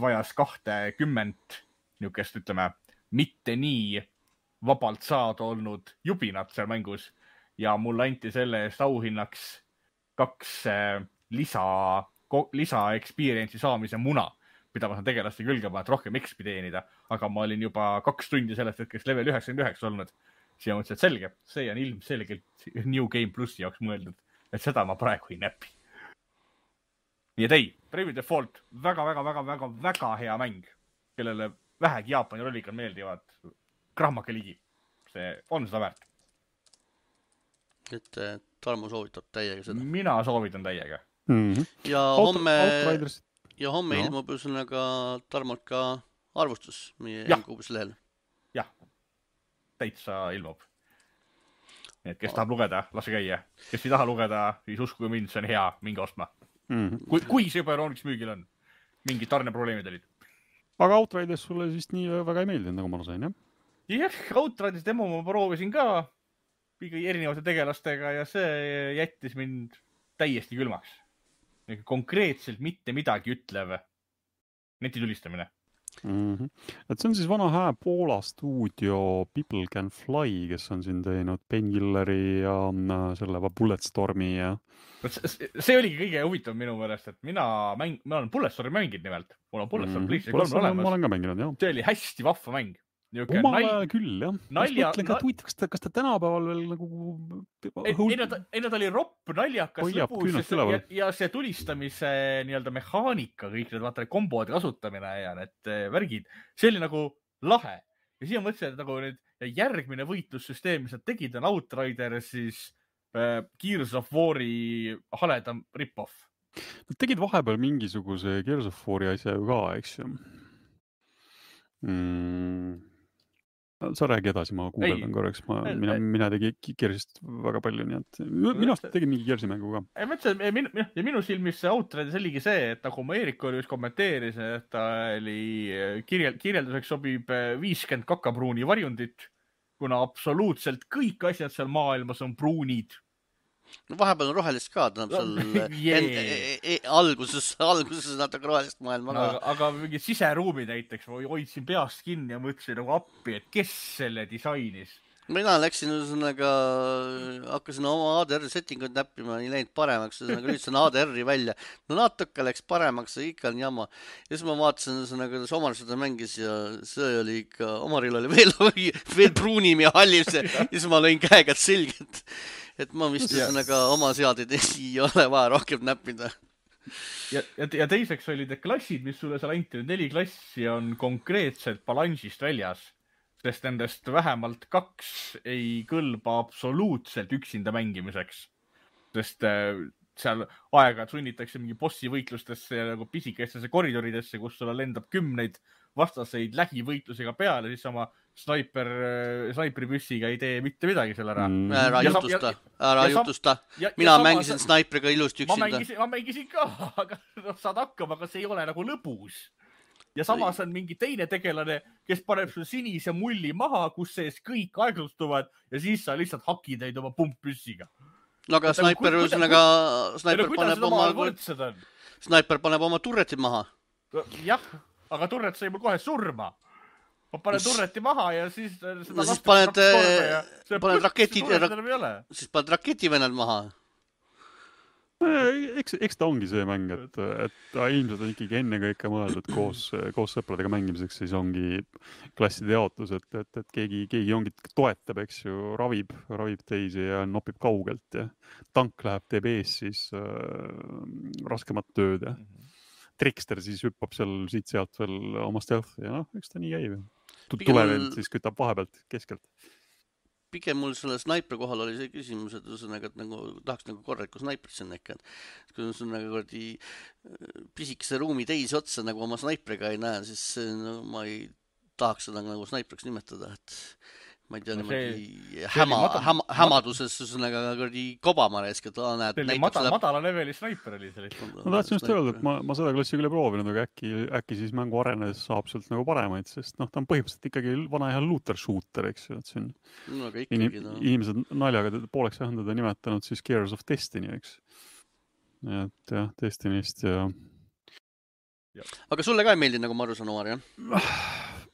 vajas 20 niukest, ütleme, mitte nii vabalt saada olnud jubinat seal mängus ja mulle anti selle eest auhinnaks 2 lisa experience'i saamise muna, mida ma saan tegelaste külgema, et rohkem XP teenida, aga ma olin juba 2 tundi sellest hetkest level 99 olnud. Siis ma mõtlesin, et selge, see on ilmselgelt New Game Plussi jaoks mõeldud, et seda ma praegu ei näpi. Nii et ei, Bravely Default, väga hea mäng, kellele vähegi Jaapani rollikad meeldivad, krahmake ligi. See on seda väärt. Et Tarmo soovitab täiega seda. Mina soovitan täiega. Ja homme ilmub ühesõnaga Tarmolt ka arvustus meie N-kuubis lehel. Jah, täitsa ilmub. Nii et kes tahab lugeda, lase käia. Kes ei taha lugeda, siis uskuge mind, see on hea, minge ostma. Kui see juba Euroniks müügil on. Mingid tarneprobleemid olid. Aga Outriders sulle siis nii väga ei meeldinud, nagu ma sain, jah? Jah, Outriders demo ma proovisin ka erinevate tegelastega ja see jättis mind täiesti külmaks. Konkreetselt mitte midagi ütlev netitulistamine. Et see on siis vana hää Poola stuudio People Can Fly, kes on siin teinud Painkilleri ja selle Bulletstormi ja... See oligi kõige huvitav minu meelest, et ma olen Bulletstormi mängid nimelt. Mul on Bulletstorm PlayStation 3 olemas. Ma olen ka mänginud, jah. See oli hästi vahva mäng. Omal ajal küll, jah. Kas ta tänapäeval veel nagu... Ei, ta oli ropp, naljakas lõbus ja see tulistamise nii-öelda mehaanika, kõik need vaata kombode kasutamine ja need värgid, see oli nagu lahe. Ja siia mõtlesin, et nagu nüüd järgmine võitlussüsteem, mis nad tegid, on Outriders, siis Gears of War'i haledam rip-off. Nad tegid vahepeal mingisuguse Gears of War'i asja ju ka, eks ju. Sa räägi edasi, ma guugeldan korraks. Mina tegin Gearsist väga palju, nii et minu aasta tegin mingi Gearsi mängu ka. Ja minu silmis see Outriders oligi see, et nagu ma Eerik oli just kommenteeris, et ta oli kirjelduseks sobib 50 kakapruuni varjundit, kuna absoluutselt kõik asjad seal maailmas on pruunid. No vahepeal on rohelist ka, tähendab seal alguses natuke rohelist maailma ka. Aga mingi siseruumi näiteks hoidsin peast kinni ja mõtlesin nagu appi, et kes selle disainis. mina läksin ühesõnaga, hakkasin oma ADR settingut näppima, ei läinud paremaks, ühesõnaga lülitasin ADR-i välja. No natuke läks paremaks, ikka on jama. Ja siis ma vaatasin, ühesõnaga, kuidas Omar seda mängis ja see oli ikka, Omaril oli veel pruunim ja hallim see. Ja siis ma lõin käega selgelt, et ma vist ühesõnaga oma seadeid ei ole vaja rohkem näppida. Ja teiseks olid need klassid, mis sulle seal anti, 4 klassi on konkreetselt balansist väljas. Sest nendest vähemalt 2 ei kõlba absoluutselt üksinda mängimiseks. Sest seal aega sunnitakse mingi bossi võitlustesse ja nagu pisikestesse koridoridesse, kus sulle lendab 10 vastaseid lähivõitlusega peale, siis oma snaipripüssiga ei tee mitte midagi selle ära. Ära jutusta. Mina mängisin snaipriga ilusti üksinda. Ma mängisin ka, aga saad hakkama, aga see ei ole nagu lõbus. Ja samas on mingi teine tegelane, kes paneb sul sinise mulli maha, kus sees kõik aeglustuvad ja siis sa lihtsalt hakid neid oma pumppüssiga. No aga snaiper paneb oma turretid maha. Jah, aga turret sai mul kohe surma. Ma panen turreti maha ja siis... No siis paned raketivennad maha. Eks ta ongi see mäng, et ta ilmselt on ikkagi enne kõike mõeldud koos sõpradega mängimiseks, siis ongi klasside jaotus, et keegi ongi toetab, eks ju, ravib teisi ja nopib kaugelt ja tank läheb, teeb ees siis raskemat tööd ja Trickster siis hüppab seal siit-sealt veel oma stealth ja eks ta nii käib. Tulevend siis kütab vahepealt keskelt. Pigem mul selle snaipri kohal oli see küsimus, et tahaks korralikku snaiprit sinna ikka. Kui on pisikese ruumi teisi otsa oma snaipriga ei näe, siis ma ei tahaks seda snaipriks nimetada. Ma ei tea, niimoodi hämaduses kobama reesk, et näed. Madala leveli snaiper oli see lihtsalt. Ma tahtsin just öelda, et ma seda klassi küll ei proovinud, aga äkki siis mängu arenedes saab sealt paremaid, sest ta on põhimõtteliselt ikkagi vana hea looter shooter, eks ju. Inimesed naljaga pooleks vähendada nimetanud siis Gears of Destiny, eks. Et jah, Destinist ja... Aga sulle ka ei meeldi, nagu ma aru saan, Omar, jah?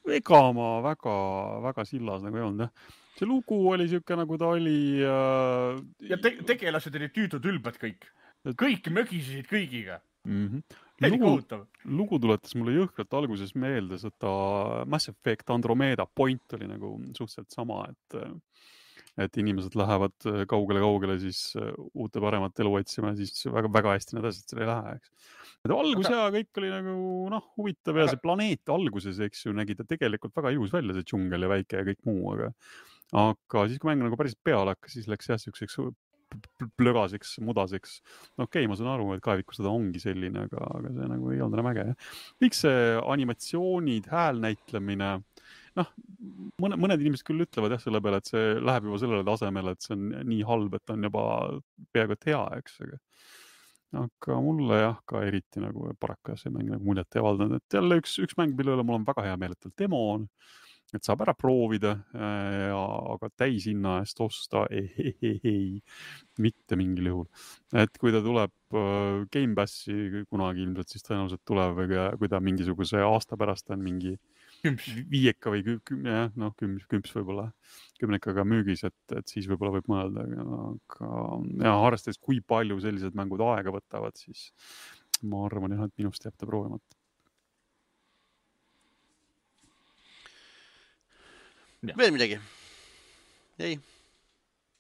Ega ma väga sillas nagu ei olnud, jah. See lugu oli siuke, nagu ta oli... Ja tegelased olid tüütud ülbad kõik. Kõik mögisesid kõigiga. Lugu tuletas mulle jõhkralt alguses meelde seda Mass Effect Andromeda point oli nagu suhteliselt sama, et inimesed lähevad kaugele siis uute paremat elu otsima ja siis väga hästi need asjad seal ei lähe, eks. Algus ja kõik oli nagu huvitav ja see planeet alguses, eks ju, nägi ta tegelikult väga ilus välja, see džungel ja väike ja kõik muu, aga siis kui mäng nagu päris peale hakkas, siis läks jah siukseks plögaseks, mudaseks. Okei, ma saan aru, et kaeviku seda ongi selline, aga see nagu ei olnud enam äge. Kõik see animatsioonid, häälnäitlemine, mõned inimesed küll ütlevad jah selle peale, et see läheb juba sellele tasemele, et see on nii halb, et on juba peaaegu et hea, eks. Aga mulle jah ka eriti nagu paraku see mäng nagu muljet ei avaldanud, et jälle üks mäng, mille üle mul on väga hea meel, et demo on, et saab ära proovida, aga täishinna eest osta ei, mitte mingil juhul. Et kui ta tuleb Game Passi kunagi ilmselt, siis tõenäoliselt tuleb, kui ta mingisuguse aasta pärast on mingi 5 või 10 võib-olla 10 müügis, et siis võib-olla võib mõelda, aga arvestades, kui palju sellised mängud aega võtavad, siis ma arvan jah, et minust jääb ta proovimata. Veel midagi? Ei?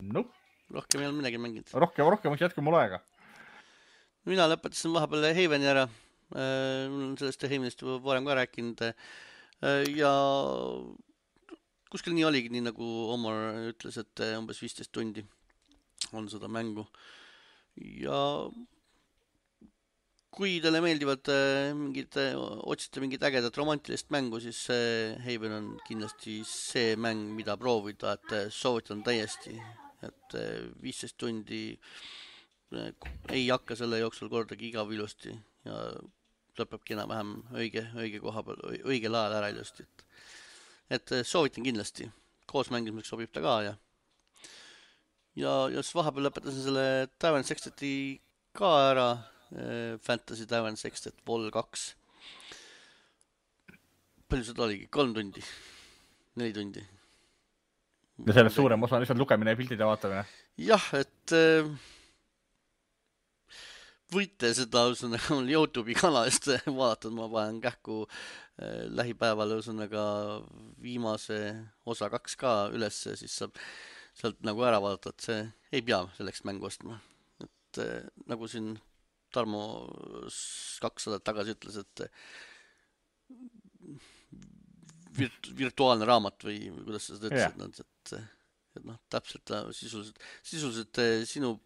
No. Rohkem ei ole midagi mänginud. Rohkem jätku mul aega. Mina lõpetasin vahepeal Haveni ära. Mul on sellest Havenist juba varem ka rääkinud. Ja kuskil nii oligi, nii nagu Omar ütles, et umbes 15 tundi on seda mängu. Ja kui teile meeldivad otsite mingit ägedat romantilist mängu, siis Haven on kindlasti see mäng, mida proovida, et soovitan täiesti, et 15 tundi ei hakka selle jooksul kordagi igav ilusti ja lõpebki enam-vähem õige koha peal, õigel ajal ära ilusti. Et soovitan kindlasti. Koos mängimiseks sobib ta ka ja siis vahepeal lõpetasin selle Tavern Sexteti ka ära. Fantasy Tavern Sextet Vol 2. Palju seda oligi? 3 tundi? 4 tundi? ja sellest suurem osa on lihtsalt lugemine ja pildide vaatamine. jah, et võite seda mul YouTube'i kanalist vaadata, ma panen kähku lähipäeval viimase osa 2 ka ülesse, siis saab sealt nagu ära vaadata, et see ei pea selleks mängu ostma. Et nagu siin Tarmo 200 tagasi ütles, et virtuaalne raamat või kuidas sa seda ütlesid, et noh, täpselt sisuliselt sinu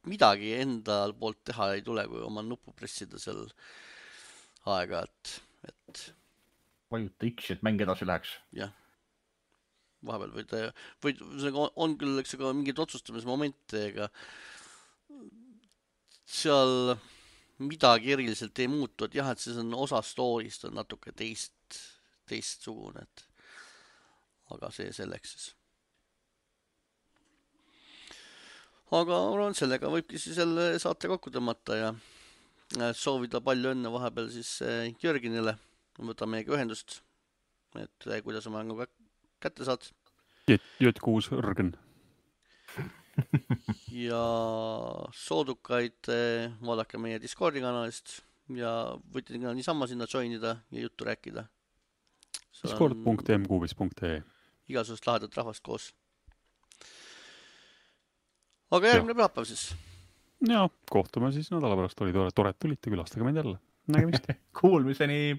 midagi enda poolt teha ei tule, kui oma nuppu pressida seal aega, et vajuta X, et mäng edasi läheks. jah, vahepeal on küll, eks aga mingid otsustamismomente, ega seal midagi eriliselt ei muutu, et jah, et siis on osa story'st on natuke teistsugune, et aga see selleks siis. Aga arvan, sellega võibki siis jälle saate kokku tõmmata ja soovida palju õnne vahepeal siis Jörginile. Võta meiega ühendust, et kuidas oma mängu kätte saad. J6 Rõrgen. Ja soodukaid vaadake meie Discordi kanalist ja võite niisama sinna joinida ja juttu rääkida. Discord.mqbis.ee Igasugust lahedat rahvast koos. Aga järgmine pühapäev siis. Ja kohtume siis nädala pärast. Oli tore, et tulite, külastage meid jälle. Nägemist. Kuulmiseni!